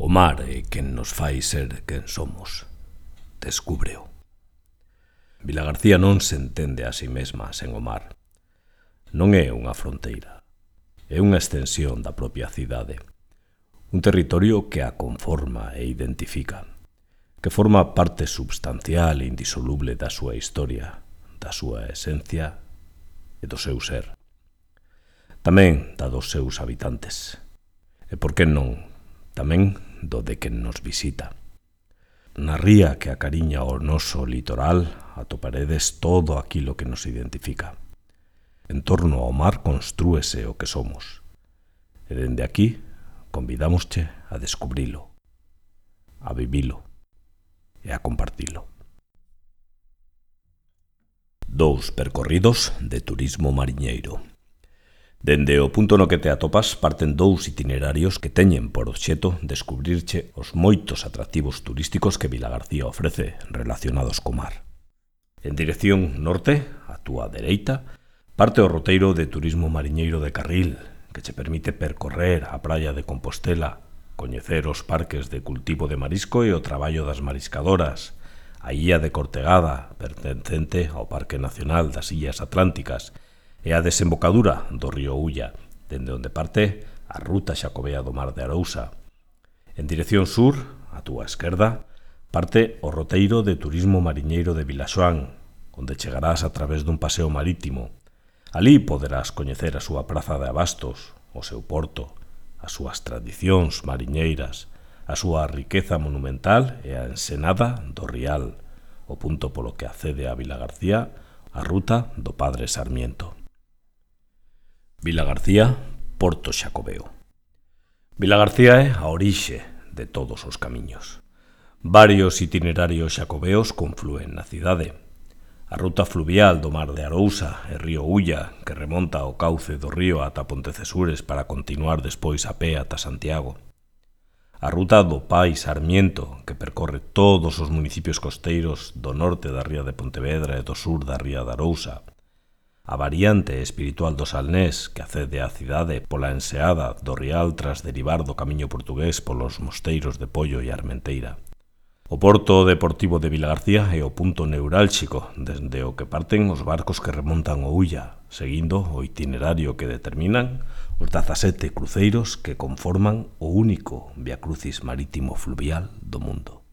O mar é quen nos fai ser quen somos. Descúbreo. Vilagarcía non se entende a si mesma sen o mar. Non é unha fronteira. É unha extensión da propia cidade. Un territorio que a conforma e identifica, que forma parte substancial e indisoluble da súa historia, da súa esencia e do seu ser. Tamén da dos seus habitantes. E por que non, tamén do de quen nos visita. Na ría que acariña o noso litoral atoparedes todo aquilo que nos identifica. En torno ao mar constrúese o que somos. E dende aquí convidámosche a descubrilo, a vivilo e a compartilo. 2 percorridos de turismo mariñeiro. Dende o punto no que te atopas parten 2 itinerarios que teñen por obxeto descubrirche os moitos atractivos turísticos que Vilagarcía ofrece relacionados co mar. En dirección norte, a túa dereita, parte o roteiro de turismo mariñeiro de Carril, que che permite percorrer a praia de Compostela, coñecer os parques de cultivo de marisco e o traballo das mariscadoras, a illa de Cortegada, pertencente ao Parque Nacional das Illas Atlánticas, e a desembocadura do río Ulla, dende onde parte a ruta xacobea do Mar de Arousa. En dirección sur, a túa esquerda, parte o roteiro de turismo mariñeiro de Vilaxoán, onde chegarás a través dun paseo marítimo. Alí poderás coñecer a súa praza de abastos, o seu porto, as súas tradicións mariñeiras, a súa riqueza monumental e a ensenada do Rial, o punto polo que accede a Vilagarcía a ruta do Padre Sarmiento. Vilagarcía, Porto Xacobeo. Vilagarcía é a orixe de todos os camiños. Varios itinerarios xacobeos conflúen na cidade. A ruta fluvial do Mar de Arousa e río Ulla, que remonta ao cauce do río ata Pontecesures para continuar despois a pé ata Santiago. A ruta do Pai Sarmiento, que percorre todos os municipios costeiros do norte da ría de Pontevedra e do sur da ría de Arousa. A variante espiritual do Salnés, que accede á cidade pola enseada do Rial tras derivar do camiño portugués polos mosteiros de Pollo e Armenteira. O porto deportivo de Vilagarcía é o punto neurálxico desde o que parten os barcos que remontan o Ulla, seguindo o itinerario que determinan os 17 cruceiros que conforman o único viacrucis marítimo fluvial do mundo.